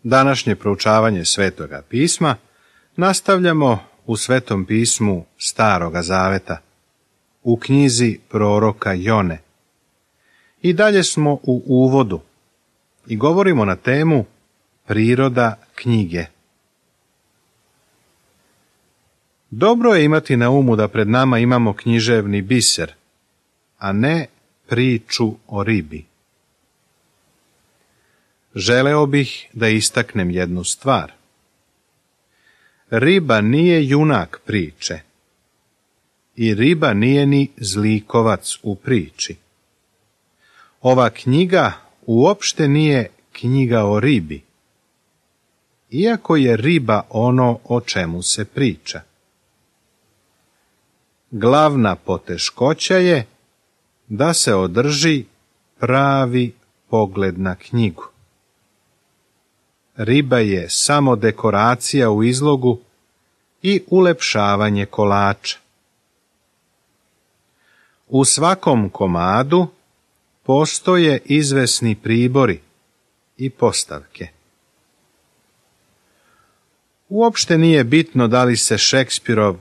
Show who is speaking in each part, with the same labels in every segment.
Speaker 1: Današnje proučavanje Svetoga pisma nastavljamo u Svetom pismu Staroga zaveta, u knjizi proroka Jone. I dalje smo u uvodu i govorimo na temu priroda knjige. Dobro je imati na umu da pred nama imamo književni biser, a ne priču o ribi. Želeo bih da istaknem jednu stvar. Riba nije junak priče i riba nije ni zlikovac u priči. Ova knjiga uopšte nije knjiga o ribi, iako je riba ono o čemu se priča. Glavna poteškoća je da se održi pravi pogled na knjigu. Riba je samo dekoracija u izlogu i ulepšavanje kolača. U svakom komadu postoje izvesni pribori i postavke. Uopšte nije bitno da li se Šekspirov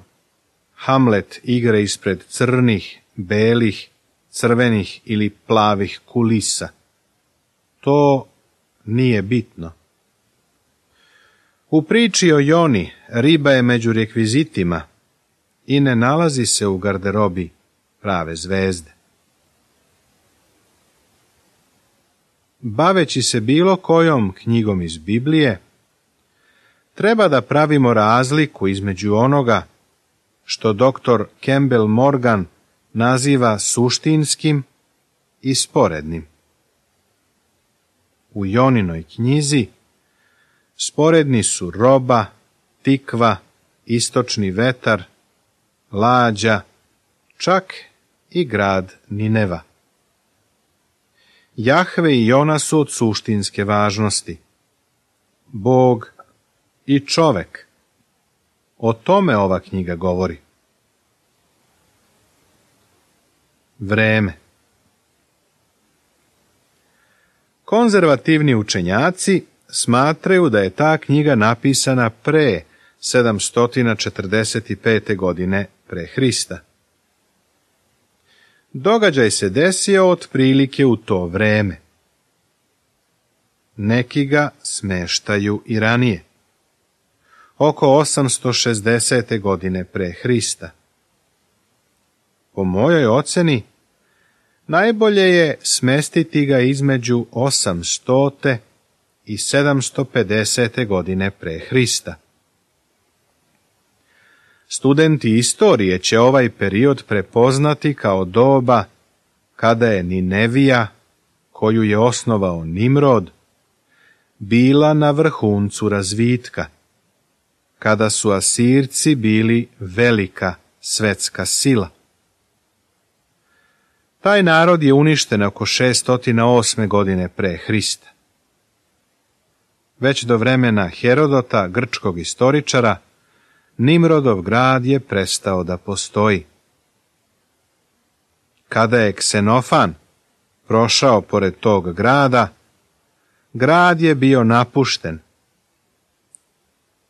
Speaker 1: Hamlet igra ispred crnih, belih, crvenih ili plavih kulisa. To nije bitno. U priči o Joni riba je među rekvizitima i ne nalazi se u garderobi prave zvezde. Baveći se bilo kojom knjigom iz Biblije, treba da pravimo razliku između onoga što dr. Campbell Morgan naziva suštinskim i sporednim. U Joninoj knjizi sporedni su roba, tikva, istočni vetar, lađa, čak i grad Nineva. Jahve i Jona su od suštinske važnosti. Bog i čovek. O tome ova knjiga govori. Vreme. Konzervativni učenjaci smatraju da je ta knjiga napisana pre 745. godine pre Hrista. Događaj se desio otprilike u to vreme. Neki ga smeštaju i ranije, oko 860. godine pre Hrista. Po mojoj oceni, najbolje je smestiti ga između 800. i 750. godine pre Hrista. Studenti istorije će ovaj period prepoznati kao doba kada je Ninevija, koju je osnovao Nimrod, bila na vrhuncu razvitka, kada su Asirci bili velika svetska sila. Taj narod je uništen oko 608. godine pre Hrista. Već do vremena Herodota, grčkog istoričara, Nimrodov grad je prestao da postoji. Kada je Ksenofan prošao pored tog grada, grad je bio napušten,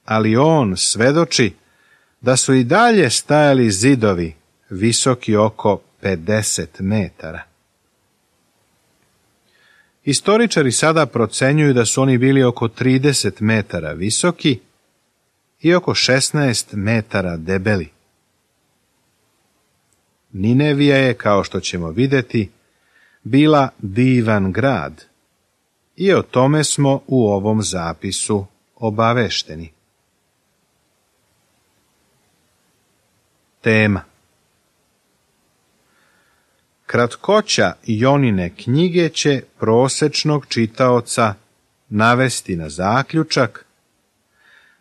Speaker 1: ali on svedoči da su i dalje stajali zidovi visoki oko 50 metara. Istoričari sada procenjuju da su oni bili oko 30 metara visoki i oko 16 metara debeli. Ninevija je, kao što ćemo vidjeti, bila divan grad i o tome smo u ovom zapisu obavešteni. Tema. Kratkoća Jonine knjige će prosečnog čitaoca navesti na zaključak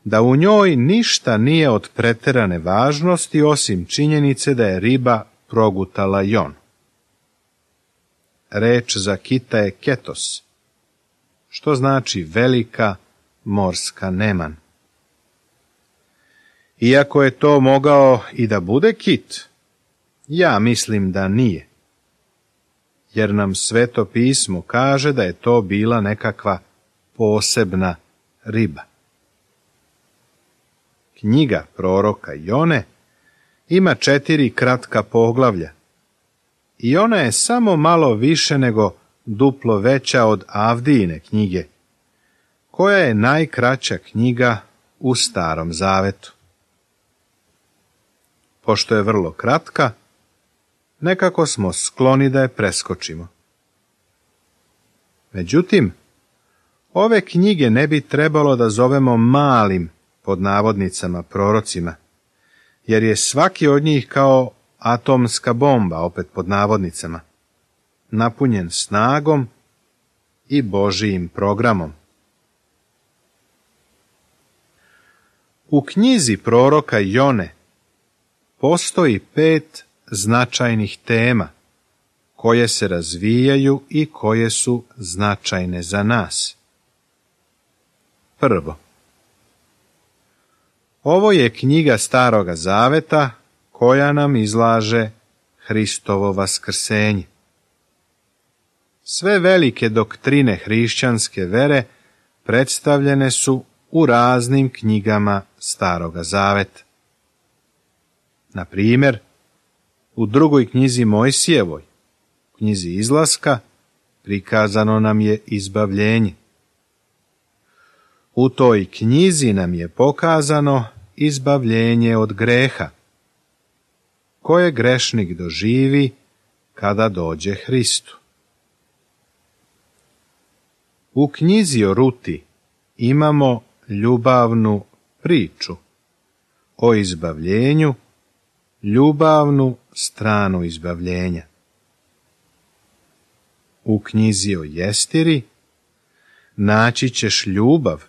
Speaker 1: da u njoj ništa nije od preterane važnosti osim činjenice da je riba progutala Jon. Reč za kita je ketos, što znači velika morska neman. Iako je to mogao i da bude kit, ja mislim da nije, jer nam Sveto pismo kaže da je to bila nekakva posebna riba. Knjiga proroka Jone ima 4 kratka poglavlja i ona je samo malo više nego duplo veća od Avdijine knjige, koja je najkraća knjiga u Starom Zavetu. Pošto je vrlo kratka, nekako smo skloni da je preskočimo. Međutim, ove knjige ne bi trebalo da zovemo malim, pod navodnicama, prorocima, jer je svaki od njih kao atomska bomba, opet pod navodnicama, napunjen snagom i Božijim programom. U knjizi proroka Jone postoji 5 značajnih tema koje se razvijaju i koje su značajne za nas. Prvo, ovo je knjiga Staroga Zaveta koja nam izlaže Hristovo vaskrsenje. Sve velike doktrine hrišćanske vere predstavljene su u raznim knjigama Staroga Zaveta. Na primjer, u 2. knjizi Mojsijevoj, knjizi Izlaska, prikazano nam je izbavljenje. U toj knjizi nam je pokazano izbavljenje od greha, koje grešnik doživi kada dođe Hristu. U knjizi o Ruti imamo ljubavnu priču o izbavljenju, ljubavnu stranu izbavljenja. U knjizi o Jestiri naći ćeš ljubav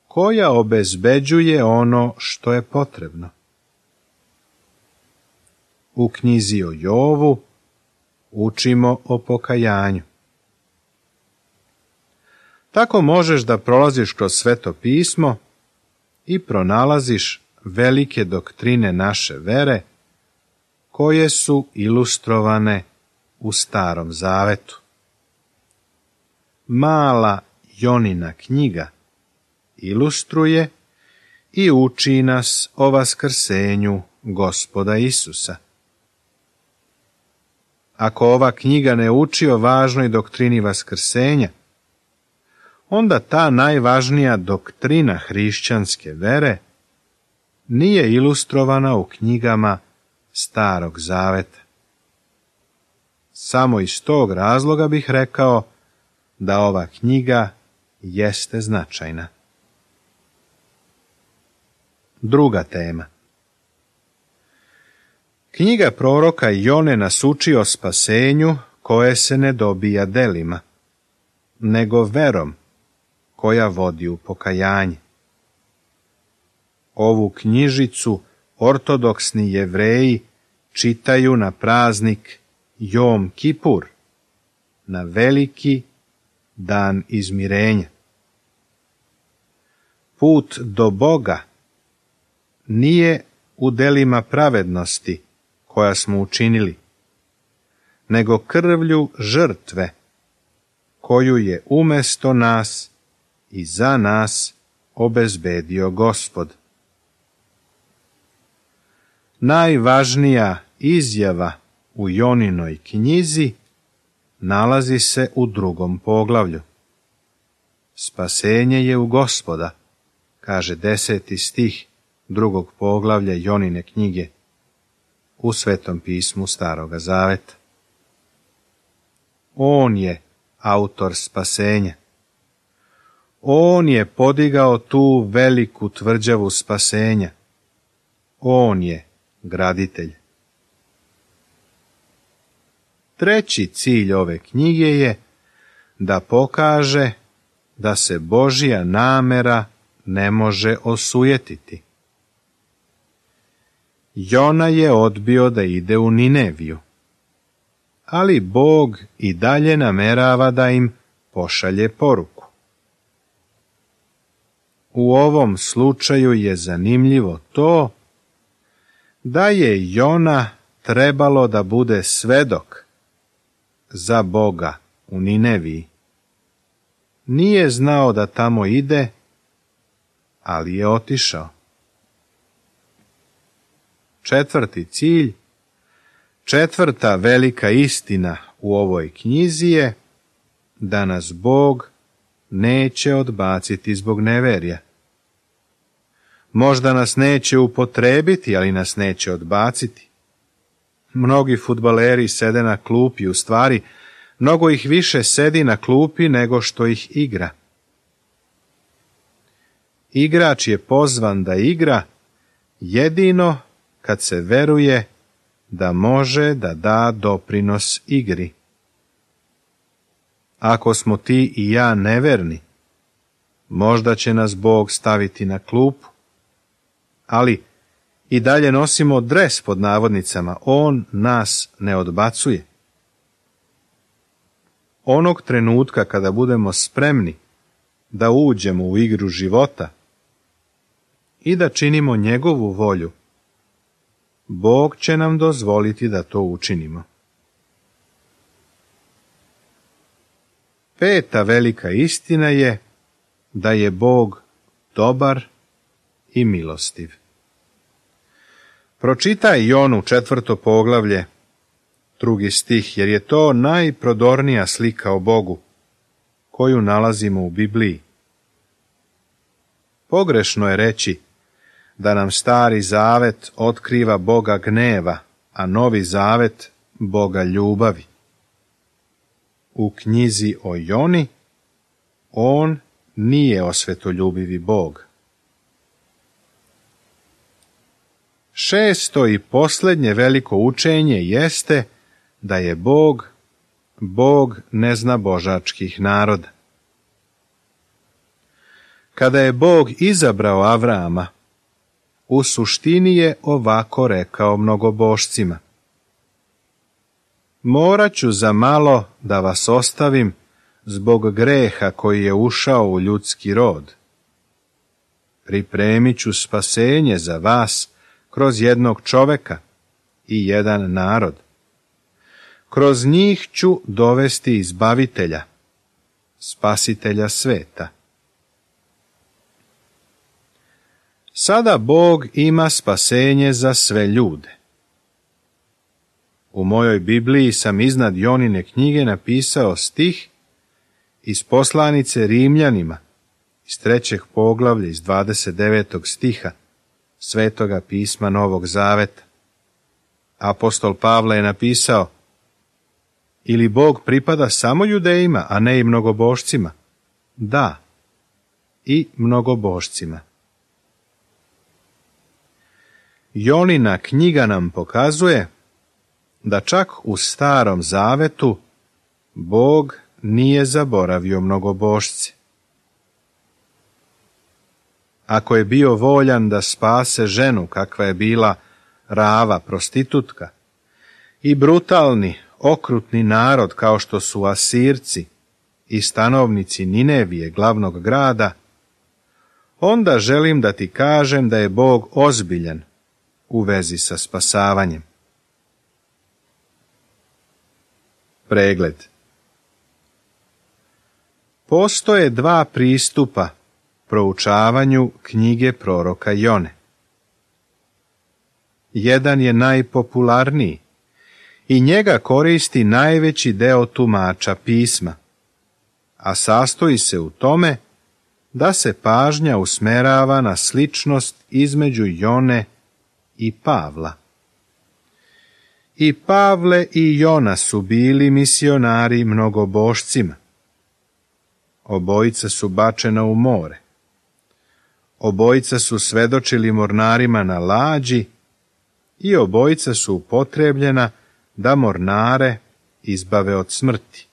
Speaker 1: koja obezbeđuje ono što je potrebno. U knjizi o Jovu učimo o pokajanju. Tako možeš da prolaziš kroz Sveto pismo i pronalaziš velike doktrine naše vere koje su ilustrovane u Starom Zavetu. Mala Jonina knjiga ilustruje i uči nas o vaskrsenju Gospoda Isusa. Ako ova knjiga ne uči o važnoj doktrini vaskrsenja, onda ta najvažnija doktrina hrišćanske vere nije ilustrovana u knjigama Starog Zaveta. Samo iz tog razloga bih rekao da ova knjiga jeste značajna. Druga tema. Knjiga proroka Jone nas uči o spasenju koje se ne dobija delima, nego verom koja vodi u pokajanje. Ovu knjižicu ortodoksni Jevreji čitaju na praznik Jom Kipur, na veliki dan izmirenja. Put do Boga nije u delima pravednosti koja smo učinili, nego krvlju žrtve koju je umjesto nas i za nas obezbedio Gospod. Najvažnija izjava u Joninoj knjizi nalazi se u 2. poglavlju. Spasenje je u Gospoda, kaže 10. stih 2. poglavlja Jonine knjige u Svetom pismu Staroga Zaveta. On je autor spasenja. On je podigao tu veliku tvrđavu spasenja. On je graditelj. Treći cilj ove knjige je da pokaže da se Božja namera ne može osujetiti. Jona je odbio da ide u Nineviju, ali Bog i dalje namerava da im pošalje poruku. U ovom slučaju je zanimljivo to da je Jona trebalo da bude svedok za Boga u Nineviji. Nije znao da tamo ide, ali je otišao. 4. cilj, 4. velika istina u ovoj knjizi je da nas Bog neće odbaciti zbog neverja. Možda nas neće upotrebiti, ali nas neće odbaciti. Mnogi fudbaleri sede na klupi, u stvari, mnogo ih više sedi na klupi nego što ih igra. Igrač je pozvan da igra jedino kad se veruje da može da da doprinos igri. Ako smo ti i ja neverni, možda će nas Bog staviti na klupu, ali i dalje nosimo dres pod navodnicama, on nas ne odbacuje. Onog trenutka kada budemo spremni da uđemo u igru života i da činimo njegovu volju, Bog će nam dozvoliti da to učinimo. 5. velika istina je da je Bog dobar i milostiv. Pročitaj Jonu 4. poglavlje, 2. stih, jer je to najprodornija slika o Bogu koju nalazimo u Bibliji. Pogrešno je reći da nam Stari zavet otkriva Boga gneva, a Novi zavet Boga ljubavi. U knjizi o Joni on nije osvetoljubivi Bog. 6. i posljednje veliko učenje jeste da je Bog neznabožačkih naroda. Kada je Bog izabrao Avrama, u suštini je ovako rekao mnogobošcima: morat ću za malo da vas ostavim zbog greha koji je ušao u ljudski rod. Pripremit ću spasenje za vas kroz jednog čoveka i jedan narod. Kroz njih ću dovesti izbavitelja, spasitelja sveta. Sada Bog ima spasenje za sve ljude. U mojoj Bibliji sam iznad Jonine knjige napisao stih iz poslanice Rimljanima, iz 3. poglavlja, iz 29. stiha Svetoga pisma Novog Zaveta. Apostol Pavle je napisao: ili Bog pripada samo Judejima, a ne i mnogobošcima? Da, i mnogobošcima. Jonina knjiga nam pokazuje da čak u Starom Zavetu Bog nije zaboravio mnogobošce. Ako je bio voljan da spase ženu kakva je bila Rava, prostitutka, i brutalni, okrutni narod kao što su Asirci i stanovnici Ninevije, glavnog grada, onda želim da ti kažem da je Bog ozbiljan u vezi sa spasavanjem. Pregled. Postoje 2 pristupa proučavanju knjige proroka Jone. Jedan je najpopularniji i njega koristi najveći deo tumača pisma, a sastoji se u tome da se pažnja usmerava na sličnost između Jone i Pavla. I Pavle i Jona su bili misionari mnogobošcima. Obojica su bačena u more. Obojica su svedočili mornarima na lađi i obojica su upotrebljena da mornare izbave od smrti.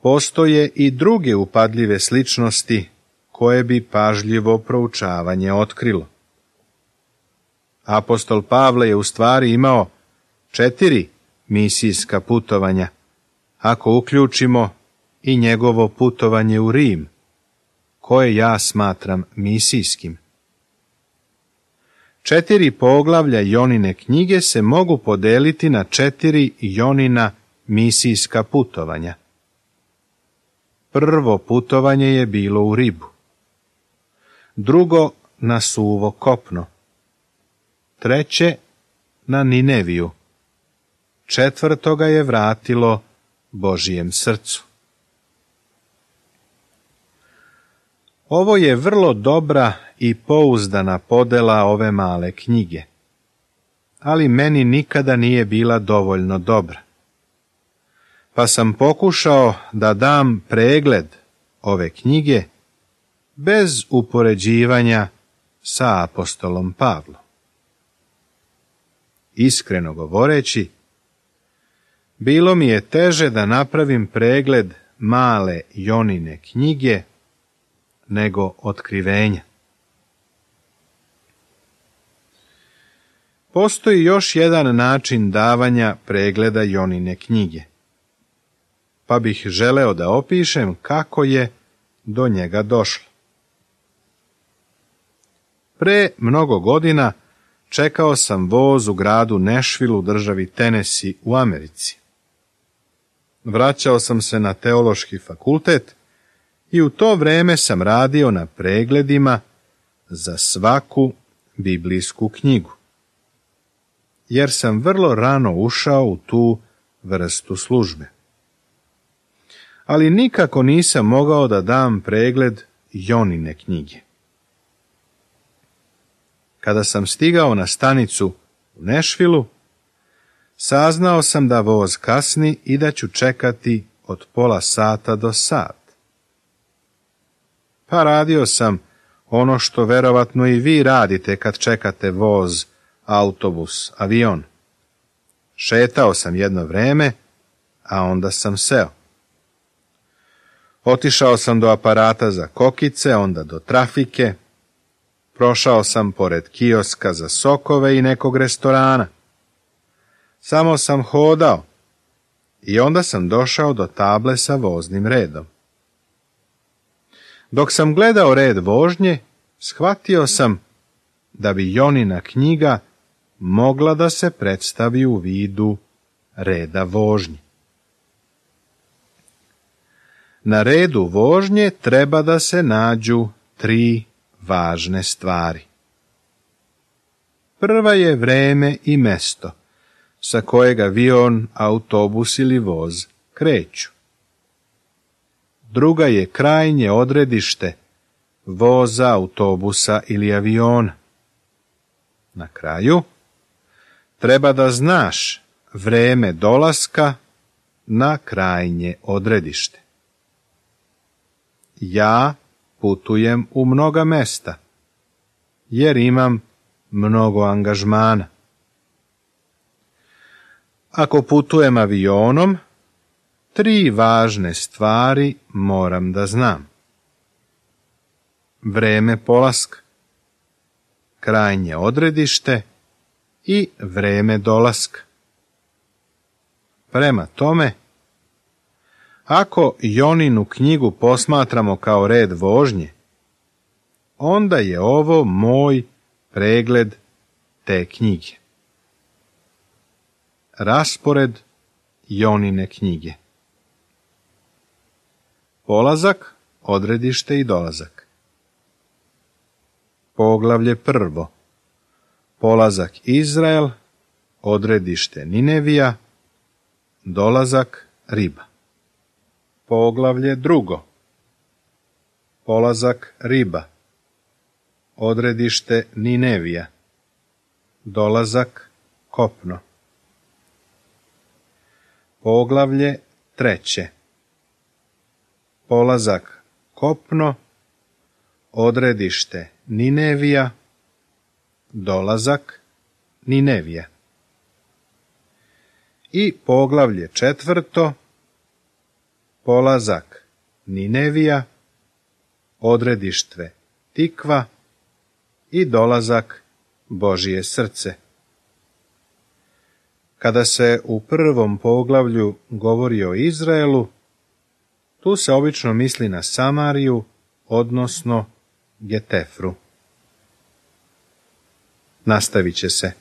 Speaker 1: Postoje i druge upadljive sličnosti koje bi pažljivo proučavanje otkrilo. Apostol Pavle je u stvari imao 4 misijska putovanja, ako uključimo i njegovo putovanje u Rim, koje ja smatram misijskim. 4 poglavlja Jonine knjige se mogu podeliti na 4 Jonina misijska putovanja. Prvo putovanje je bilo u Ribu. drugo na suvo kopno, treće na Nineviju, četvrto ga je vratilo Božijem srcu. Ovo je vrlo dobra i pouzdana podela ove male knjige, ali meni nikada nije bila dovoljno dobra. Pa sam pokušao da dam pregled ove knjige bez upoređivanja sa apostolom Pavlom. Iskreno govoreći, bilo mi je teže da napravim pregled male Jonine knjige nego Otkrivenja. Postoji još jedan način davanja pregleda Jonine knjige, pa bih želeo da opišem kako je do njega došlo. Pre mnogo godina čekao sam voz u gradu Nashville u državi Tennessee u Americi. Vraćao sam se na teološki fakultet i u to vreme sam radio na pregledima za svaku biblijsku knjigu, jer sam vrlo rano ušao u tu vrstu službe. Ali nikako nisam mogao da dam pregled Jonine knjige. Kada sam stigao na stanicu u Nashvilleu, saznao sam da voz kasni i da ću čekati od pola sata do sat. Pa radio sam ono što verovatno i vi radite kad čekate voz, autobus, avion. Šetao sam jedno vreme, a onda sam seo. Otišao sam do aparata za kokice, onda do trafike. Prošao sam pored kioska za sokove i nekog restorana. Samo sam hodao i onda sam došao do table sa voznim redom. Dok sam gledao red vožnje, shvatio sam da bi Jonina knjiga mogla da se predstavi u vidu reda vožnje. Na redu vožnje treba da se nađu 3 važne stvari. Prva je vreme i mesto sa kojeg avion, autobus ili voz kreću. Druga je krajnje odredište voza, autobusa ili aviona. Na kraju, treba da znaš vreme dolaska na krajnje odredište. Ja putujem u mnoga mesta, jer imam mnogo angažmana. Ako putujem avionom, 3 važne stvari moram da znam. Vreme polaska, krajnje odredište i vreme dolaska. Prema tome, ako Joninu knjigu posmatramo kao red vožnje, onda je ovo moj pregled te knjige. Raspored Jonine knjige. Polazak, odredište i dolazak. Poglavlje 1. Polazak Izrael, odredište Ninevija, dolazak Riba. Poglavlje 2. Polazak Riba, odredište Ninevija, dolazak kopno. Poglavlje 3. Polazak kopno, odredište Ninevija, dolazak Ninevija. I poglavlje 4. Polazak Ninevija, odredište Tikva i dolazak Božije srce. Kada se u prvom poglavlju govori o Izraelu, tu se obično misli na Samariju, odnosno Getefru. Nastavit će se.